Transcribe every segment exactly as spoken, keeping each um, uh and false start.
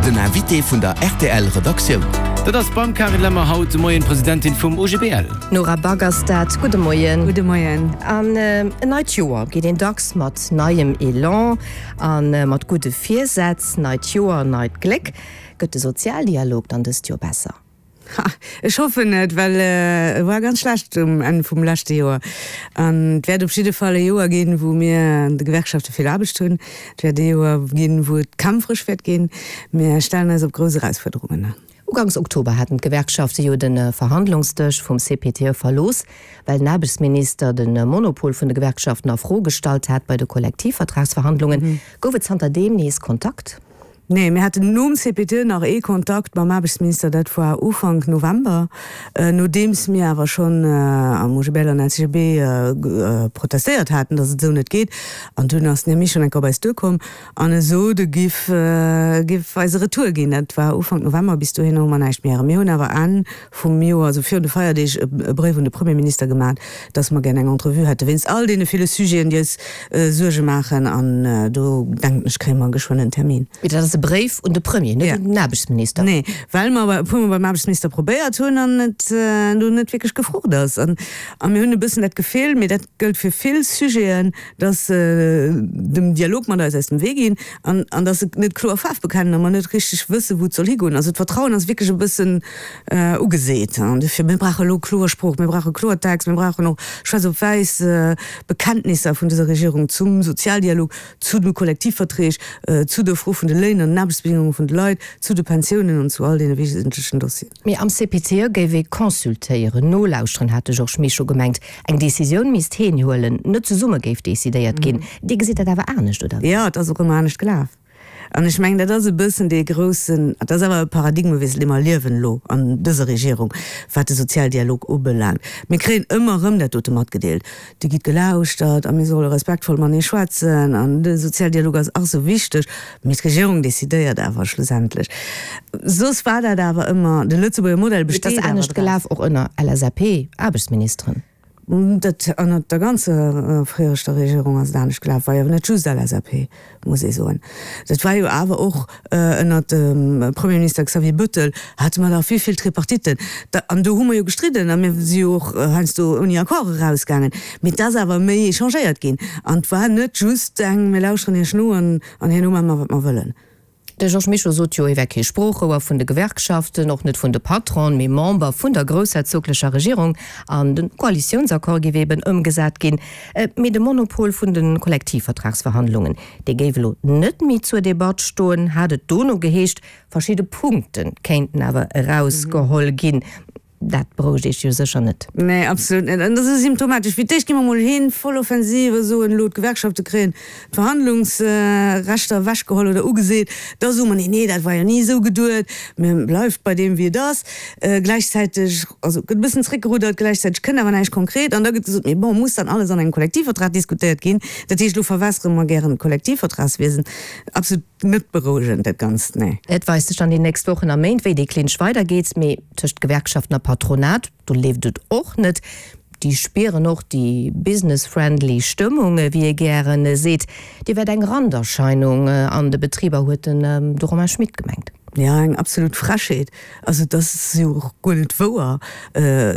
Den Invité vun der R T L Redaktioun. Dat ass beim Carine Lemmer haut de Moien d'Presidentin vum O G B L. Nora Back ass dat. Gudde Moien. Gudde Moien. An en neit Joer geet een dacks mat neiem Elan a mat gudde Virsätz. Neit Joer, neit Gléck. Gëtt de Sozialdialog dann dëst Joer besser? Ha, ech hoffen et, well e war ganz schlecht um Enn vum leschte Joer. An et wäert op jidde Fall e Joer ginn, wou mir an de Gewerkschafte vill Aarbecht hunn. Et wäert e Joer ginn, wou et kämpferesch wäert ginn. Mir stellen eis op grouss Erausfuerderungen. Uganks Oktober haten d'Gewerkschafte jo de Verhandlungsdësch vum C P T E verlooss, well den Aarbechtsminister de Monopol vun de Gewerkschaften a Fro gestallt hat bei de Kollektivvertragsverhandlungen. Gouf et zanter deem nees Kontakt? Nee, mir haten nom C P T E nach ee Kontakt mam Aarbechtsminister, dat war Ufank November, nodeems mir awer schonn am O G B L an L C G B protestéiert haten, datt et esou net geet. An dunn ass den Här Mischo eng Kéier op eis duerkomm an e sot, e giff, giff eis e Retour ginn. Dat war Ufank November, bis dohinner hu mer näischt méi héieren. Mir hunn awer Enn vum Joer, also virun de Feierdeeg, e Bréif un de Premierminister gemaach, datt mer gär eng Entrevue hätte wéinst all deene ville Sujeten, déi eis Suerge maachen. An do denken ech, kréie mer geschwënn en Termin. Mee dat ass e Bréif un de Premier, net un den Aarbechtsminister. Nee, well mer e puermol beim Aarbechtsminister probéiert hunn an et do net wierklech gefrucht ass. An mir hunn e bëssen dat Gefill, mee dat gëllt fir vill Sujeten, datt se dem Dialog mat eis aus dem Wee ginn an an datt se net kloer Faarf bekennen a mer net richteg wëssen, wou et soll higoen. Also d'Vertrauen ass wierklech e bëssen ugeseet. An dofir, mir brauche elo kloer Sprooch, mir brauche Kloertext, mir brauchen och schwaarz op wäiss Bekenntnisser vun dëser Regierung zum Sozialdialog, zu de Kollektivverträg, zu der Fro vun de Léin an den Aarbechtsbedingunge vun de Leit, zu de Pensiounen an zu all deene wesentlechen Dossieren. Mee am C P T E géif ee consultéieren, nolauschteren, hat de Georges Mischo gemengt. Eng Decisioun misst heen huelen, net zesumme géif decidéiert ginn. Dir gesitt dat awer anescht, oder wéi? Jo, et ass och ëmmer anescht gelaf. An ech mengen, dat ass e bëssen dee groussen, dat ass awer e Paradigmewiessel, dee mer erliewen elo an dëser Regierung, wat de Sozialdialog ubelaangt. Mir kréien ëmmer erëm dat dote matgedeelt, Dir gitt gelauschtert a mir solle respektvoll matenee schwätzen an de Sozialdialog ass ach sou wichteg. Mee d'Regierung decidéiert awer schlussendlech. Soss war dat awer ëmmer, de Lëtzebuerger Modell Et ass besteet awer anescht draus. gelaf, och ënner L S A P-Aarbechtsministeren. Dat ënnert der ganzer viregter Regierung ass et anescht gelaf, war jo net just L S A P, muss ee soen. Dat war jo awer och ënnert dem Premierminister Xavier Bettel hate mer da vill, vill Tripartitten. Da, an do hu mer jo gestridden a mir si jo och heiansdo ouni Accord erausgaangen. Mee et ass awer méi échangéiert ginn an et war net just eng, mir lauschteren Iech no an herno maache mer, wat mer wëllen. De Georges Mischo sot jo, hie wär kee Sproochrouer vun de Gewerkschaften, och net vun de Patronen, mee Member vun der groussherzoglecher Regierung an de Koalitiounsaccord géif eben ëmgesat ginn. Mee de Monopol vun de Kollektivvertragsverhandlungen, dee géif elo net méi zur Debatt stoen, hat et dono geheescht. Verschidde Punkte kéinten awer erausgeholl ginn. Dat berouegt Iech jo sécher net. Nee, absolut net. An dat ass symptomatesch. Fir d'éischt gi mer mol hin, voll Offensive, soen elo d'Gewerkschafte kréien d'Verhandlungsrechter ewechgeholl oder ugeseet. Da soe mer, nee, nee, dat war jo ni esou geduet, mir bleift bei deem wéi et ass. Gläichzäiteg, also gëtt e bëssen zréckgeruddert, gläichzäiteg kënnt awer näischt konkret. An da gëtt gesot, mee bon, muss dann alles an engem Kollektivvertrag diskutéiert ginn? Dat heescht, elo verwässere mer gären d'Kollektivvertragswiesen. Absolut net berouegend dat Ganzt, nee. Et weist sech dann déi nächst Wochen a Méint, wéi dee Clinch weidergeet. Mee tëscht Gewerkschaften a Patronat, do leeft et och net. Déi spieren och déi business-friendly Stëmmung, wéi ee gären seet. Déi wär eng Randerscheinung an de Betriber, huet den de Romain Schmit gemengt. Jo, eng absolut Frechheet. Also dat ass jo och guer net wouer.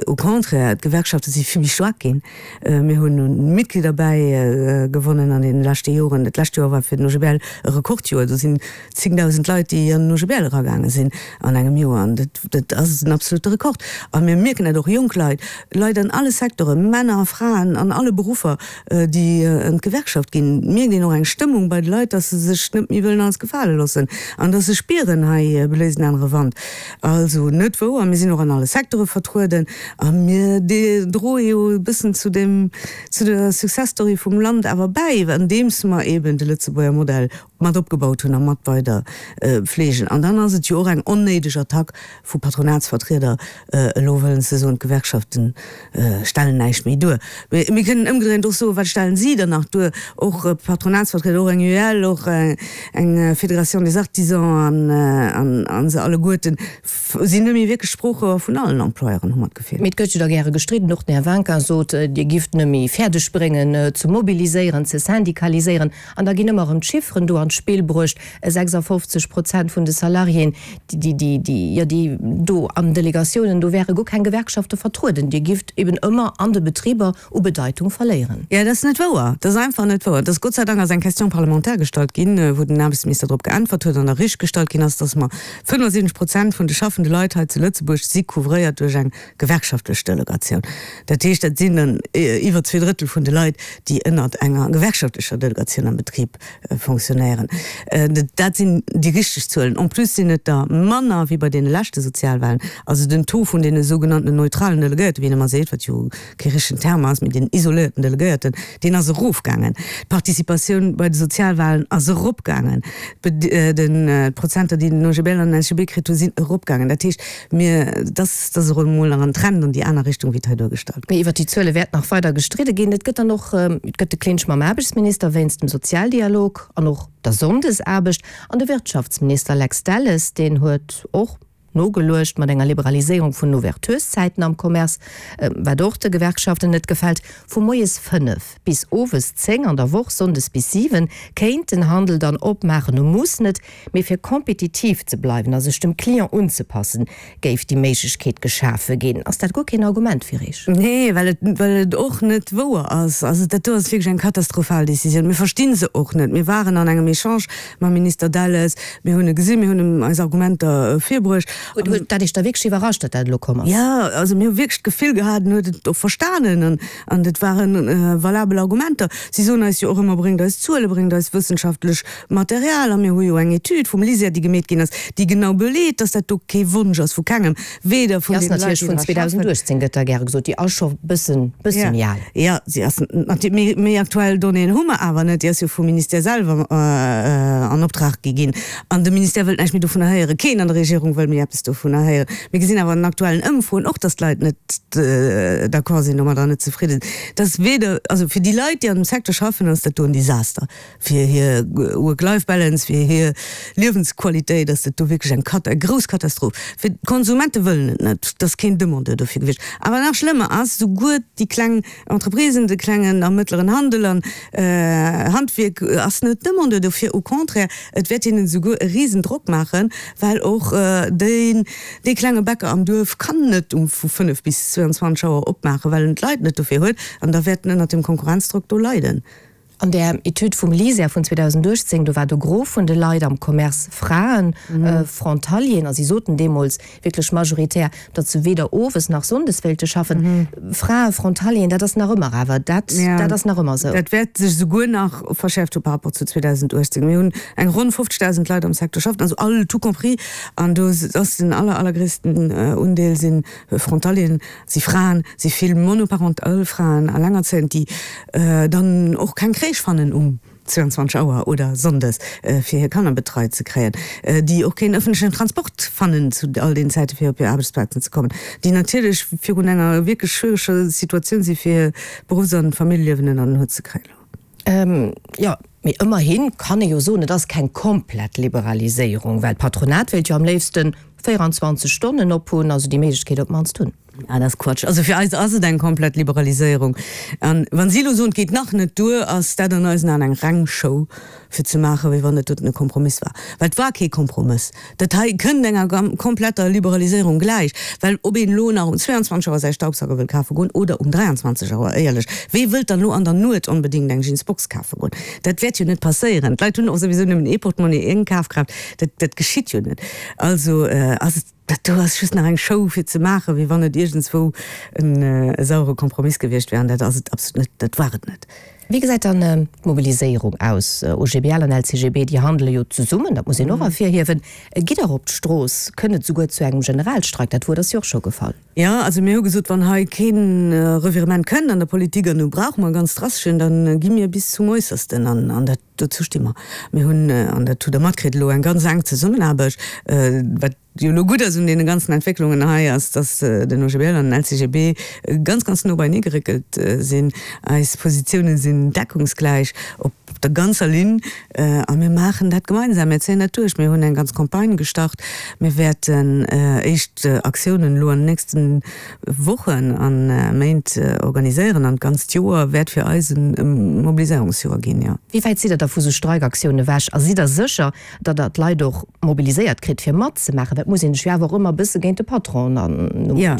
Au contraire, d'Gewerkschafte si vill méi staark ginn. Mir hunn u Mitglieder bäi gewonnen an deene leschte Joren. Dat lescht Joer war fir den O G B L e Rekordjoer. Do sinn zéngdausend Leit, déi an den O G B L eragaange sinn an engem Joer. An dat, dat ass en absolute Rekord. A mir mierken dat och, jonk Leit, Leit an alle Secteuren, Männer a Fraen an alle Beruffer, déi an d'Gewerkschaft ginn. Et mierkt een och eng Stëmmung bei de Leit, dass se sech net méi wëllen alles gefale loossen an dass se spieren, hei bléist en anere Wand. Also net wouer. Mir sinn och an alle Secteure vertrueden a mir droe jo e bëssen zu dem, zu der Success Story vum Land awer bäi, andeems mer eeben de Lëtzebuerger Modell mat opgebaut hunn a mat weider fleegen. An dann ass et jo och eng onnéideg Attack vu Patronatsvertrieder, elo wëllen ze soen, d'Gewerkschafte stellen näischt méi duer. Mee mir kënnen ëmgedréint och soen, wat stellen si dann nach duer? Och Patronatsvertrieder, och eng U E L, och eng Fédération des Artisans an an se alleguerten sinn net méi wierklech Sproochrouer vun allen Employeuren, hu mer d'Gefill. Mee et gëtt jo da gäre gestridden, och den Här Winkin sot, Dir gifft net méi fäerdeg bréngen ze mobiliséieren, ze syndikaliséieren. An da ginn ëmmer erëm d'Chifferen do an d'Spill bruecht, sechsafofzeg Prozent vun de Salariéen, déi, déi, déi, jo, déi do an Delegatiounen, do wäre guer keng Gewerkschafte vertrueden. Dir gifft eben ëmmer an de Betriber u Bedeitung verléieren. Jo, dat ass net wouer. Dat ass einfach net wouer. Dat ass Gott sei Dank ass eng Question parlementaire gestallt ginn, wou den Aarbechtsminister drop geäntwert huet an da richtgestallt ginn ass, dass mer fënnefasiwwenzeg Prozent vun de schaffende Leit hei zu Lëtzebuerg si couvréiert duerch eng gewerkschaftlech Delegatioun. Dat heescht, dat sinn dann iwwer zwee Drëttel vun de Leit, déi ënnert enger gewerkschaftlecher Delegatioun am Betrib fonctionnéieren. Dat sinn déi richteg Zuelen. En plus sinn et der manner wéi bei deene leschte Sozialwahlen. Also den Taux vun deene sougenannten neutralen Delegéierten, wéi een ëmmer seet, wat jo kee richtegen Terme ass, mee den isoléierten Delegéierten, deen ass erofgaangen. D'Participatioun bei de Sozialwahlen ass eropgaangen. D'Prozenter, déi den O G B L an den L C G B kritt hunn, sinn eropgaangen. Dat heescht, mir, dass, dass och emol nach en Trend an déi aner Richtung, wéi et hei duergestallt gëtt. Mee iwwert déi Zuele wäert nach weider gestridde ginn. Et gëtt dann och, et gëtt de Clinch mam Aarbechtsminister wéinst dem Sozialdialog an och der Sonndesaarbecht. An de Wirtschaftsminister Lex Delles, deen huet och nogeluecht mat enger Liberaliséierung vun den Ouvertureszäiten am Commerce, wat och de Gewerkschaften net gefält. Vu moies fënnef bis owes zéng an der Woch, sonndes bis siwen, kéint den Handel dann opmaachen. E muss net, mee fir kompetitiv ze bleiwen a sech dem Client unzepassen, géif déi Méiglechkeet geschafe ginn. Ass dat guer keen Argument fir Iech? Nee, well et, well et och net wouer ass. Also dat do ass wierklech eng katastrophal Decisioun. Mir versti se och net. Mir waren an engem Echange mam Minister Delles, mir hunn e gesinn, mir hunn em eis Argumenter virbruecht. Huet dat Iech da wierklech iwwerrascht, datt dat elo komm ass? Jo, also mir hu wierklech d'Gefill gehat, en huet et och verstanen an, an et ware valabel Argumenter. Si soen eis jo och ëmmer, bréngt eis Zuele, bréngt eis wëssenschaftlech Material. A mir hu jo eng Etüd vum LISER, déi gemeet ginn ass, déi genau beleet, datt dat do kee Wonsch ass vu kengem, weder vun deene Leit, déi dra schaffen. Déi ass natierlech vun zweedausendachtzéng, gëtt da gäre gesot. Déi ass scho bëssen, bësse méi al. Jo, si ass natierlech, méi aktuell Donnéeën hu mer awer net. Déi ass jo vum Ministère selwer an Optrag gi ginn. An de Ministère wëllt näischt méi dovunner héieren. Keen an der Regierung wëll méi eppes dovunner héieren. Mir gesinn awer an aktuellen Ëmfroen och, datt d'Leit net d'accord sinn domadder an net zefridden sinn. Dat ass weder, also fir déi Leit, déi an dem Secteur schaffen, ass dat do en Desaster. Fir hir Work-Life-Balance, fir hir Liewensqualitéit ass dat do wierklech eng Kata, eng grouss Katastroph. Fir d'Konsumente wëllen et net, et ass keen Demandeur dofir gewiescht. Awer nach schlëmmer ass, souguer déi kleng Entreprisen, de klengen a mëttleren Handel an Handwierk ass net Demandeur dofir. Au contraire, et wäert hinnen esouguer e Risendrock maachen, well och deen, dee klenge Bäcker am Duerf kann net um vu fënnef bis zwouanzwanzeg Auer opmaachen, well en d'Leit net dofir huet, an da wäert en ënnert dem Konkurrenzdrock do leiden. An där Etüd vum LISER vun zweedausendachtzéng, do war de Gros vun de Leit am Commerce Fraen, Frontalieren, a si soten deemools wierklech majoritär, datt se weder owes nach sonndes wéilte schaffen. Frae, Frontalieren, dat ass nach ëmmer awer, dat, dat ass nach ëmmer esou. Dat wäert sech esouguer nach verschäerft hu par rapport zu zweedausendachtzéng. Mir hunn eng ronn fofzegdausend Leit am Secteur schaffen, also all, tout compris, an do ass den aller, allergréissten Undeel si Frontalieren, si Fraen, si vill monoparental Fraen, Allengerzéiend, déi dann och keng Crèche fannen um zwouanzwanzeg Auer oder sonndes, fir hir Kanner betreit ze kréien, déi och keen ëffentlechen Transport fannen zu all deenen Zäite fir op hir Aarbechtsplazen ze kommen, déi natierlech virun enger wierklech schwiereger Situatioun si fir hir Beruffs an Familljeliewen ënner den Hutt ze kréien. Jo, mee ëmmerhi kann ee jo soen, et ass keng komplett Liberaliséierung, well d'Patronat wéilt jo am léifste véieranzwanzeg Stonnen op hunn, also déi Méiglechkeet op d'mannst hunn. Ah, dat ass Quatsch. Also fir eis ass et eng komplett Liberaliséierung. An wa si elo soen, et geet nach net duer, ass dat an eisen Aen eng reng Show, fir ze maachen, wéi wann dat doten e Kompromiss war. Well et war kee Kompromëss. Dat hei kënnt enger kompletter Liberaliséierung gläich. Well ob een elo nach um zwouanzwanzeg Auer säi Staubsauger wëll kafe goen oder um dräianzwanzeg Auer, éierlech, wee wëllt dann elo an der Nuet onbedéngt eng Jeansbox kafe goen? Dat wäert jo net passéieren. D'Leit hunn och souwisou nëmmen ee Portemonnaie, eng Kafkraaft. Dat, dat geschitt jo net. Also ass et, dat do ass just nach eng Show fir ze maachen, wéi wann et iergendswou en sauere Kompromiss gewiescht wär. An dat ass et absolut net, dat war et net. Wéi gesäit dann d'Mobiliséierung aus? O G B L an L C G B, déi handele jo zesummen, dat muss een och ervirhiewen. Gitt Der op d'Strooss? Kënnt et souguer zu engem Generalstreik? Dat Wuert ass jo och scho gefall. Jo, also mir hu gesot, wann hei kee Revirement kënnt an der Politik, an do brauche mer e ganz drasteschen, da gi mir bis zum Äussersten. An dat, dozou sti mer. Mir hunn, an dat hutt Der matkritt, elo eng ganz enk Zesummenaarbecht. Wat jo elo gutt ass un deene ganzen Entwécklungen hei, ass, dass den O G B L an den L C G B ganz, ganz no beienee geréckelt sinn. Eis Positiounen sinn deckungsgläich. Op der ganzer Linn a mir maachen dat gemeinsam, mir zéien dat duerch. Mir hunn eng ganz Campagne gestart, mir wäerten éischt Aktiounen elo an den nächste Wochen a Méint organiséieren an d'ganzt Joer wäert fir eis e Mobiliséierungsjoer ginn, jo. Wéi wäit sidd Der da vu sou Streikaktiounen ewech a sidd Der sécher, datt Der d'Leit och mobiliséiert kritt fir matzemaachen? Well et muss een sech jo awer och ëmmer e bësse géint de Patron an Jo,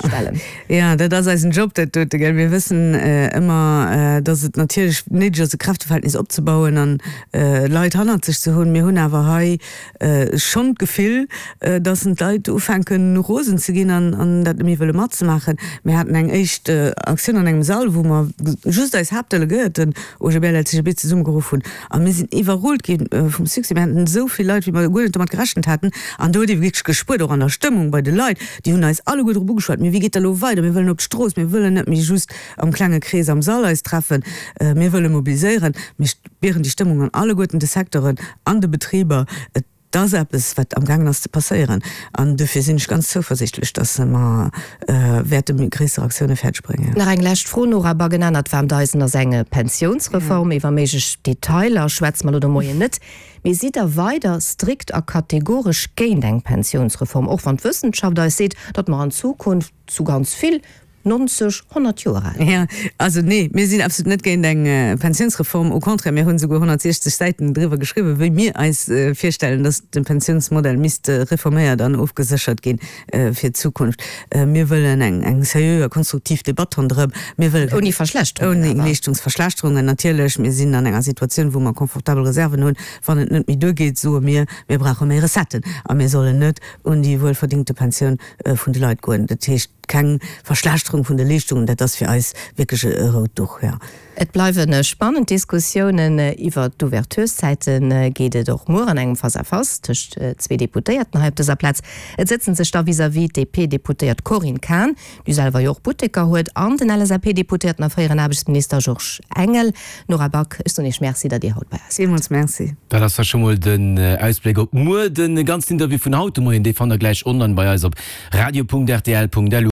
jo, dat ass eisen Job, dat dote, gell. Mir wëssen ëmmer, datt et natierlech néideg ass, e Kräfteverhältnis opzebauen an Leit hannert sech ze hunn. Mir hunn awer hei schonn d'Gefill, datt d'Leit ufänken, rosen ze ginn an dat net méi wëlle matzemaachen. Mir haten eng éischt Aktioun an engem Sall, wou mer just eis Haaptdelegéierten, OGBL, LCGB, zesummegeruff hunn a mir sinn iwwerrullt gi vum Succès. Mir haten esou vill Leit, wéi mer guer net domat gerechent haten. An do huet ee wierklech gespuert, och an der Stëmmung bei de Leit, déi hunn eis alleguer drop ugeschwat, Mee wéi geet dat elo weider? Mir wëllen op d'Strooss, mir wëllen net méi just am klenge Krees am Sall eis treffen, mir wëlle mobiliséieren. Mir spieren déi Stëmmung an alleguerten de Secteuren, an de Betriber. Et ass eppes, wat amgaangen ass ze passéieren. An dofir sinn ech ganz zouversichtlech, dass mer wäerte méi gréisser Aktioune fäerdeg bréngen. Nach eng lescht Fro, Nora Back, En anert waarmt Eisen ass eng Pensiounsreform. Iwwer méiglech Detailer schwätze mer elo de Moien net. Mee sidd Der weider strikt a kategoresch géint eng Pensiounsreform, och wann d'Wëssenschaft eis seet, datt mer an Zukunft zu ganz vill nonzeg, honnert Joer al ginn? Jo, also nee, mir sinn absolut net géint eng Pensiounsreform. Au contraire, mir hunn esouguer honnertsiechzeg Säiten driwwer geschriwwen, wéi mir eis virstellen, datt de Pensiounsmodell misst reforméiert an ofgeséchert gi fir d'Zukunft. Mir wëllen eng seriö a konstruktiv Debatt ronderëm. Mir wëlle keng. Ouni Verschlechterungen awer. Ouni Leeschtungsverschlechterungen, natierlech. Mir sinn an enger Situatioun, wou mer confortabel Reserven hunn. Wann et net méi duergeet, soe mir, mir brauche méi Recetten a mir sollen net un déi wuelverdingte Pensioun vun de Leit goen. Dat heescht, keng Verschlechterung vun de Leeschtungen, dat ass fir eis wierklech e rout Duch, jo. Et bleiwe spannend Diskussiounen. Iwwer d'Ouvertureszäite geet et och muer an engem Face-à-face tëscht zwee Deputéierten hei op dëser Plaz. Et sëtzen sech da vis-à-vis d'DP-Deputéiert Corinne Cahen, déi selwer jo och Butteker huet, an den LSAP-Deputéierten a fréieren Aarbechtsminister Georges Engel. Nora Back, ech soen Iech Merci, datt Dir haut bei eis waart. Villmools Merci. Dat ass da scho mol den Ausbléck op muer. De ganzen Interview vun haut de Moien, dee fannt der gläich online bei eis op radio.rtl.lu.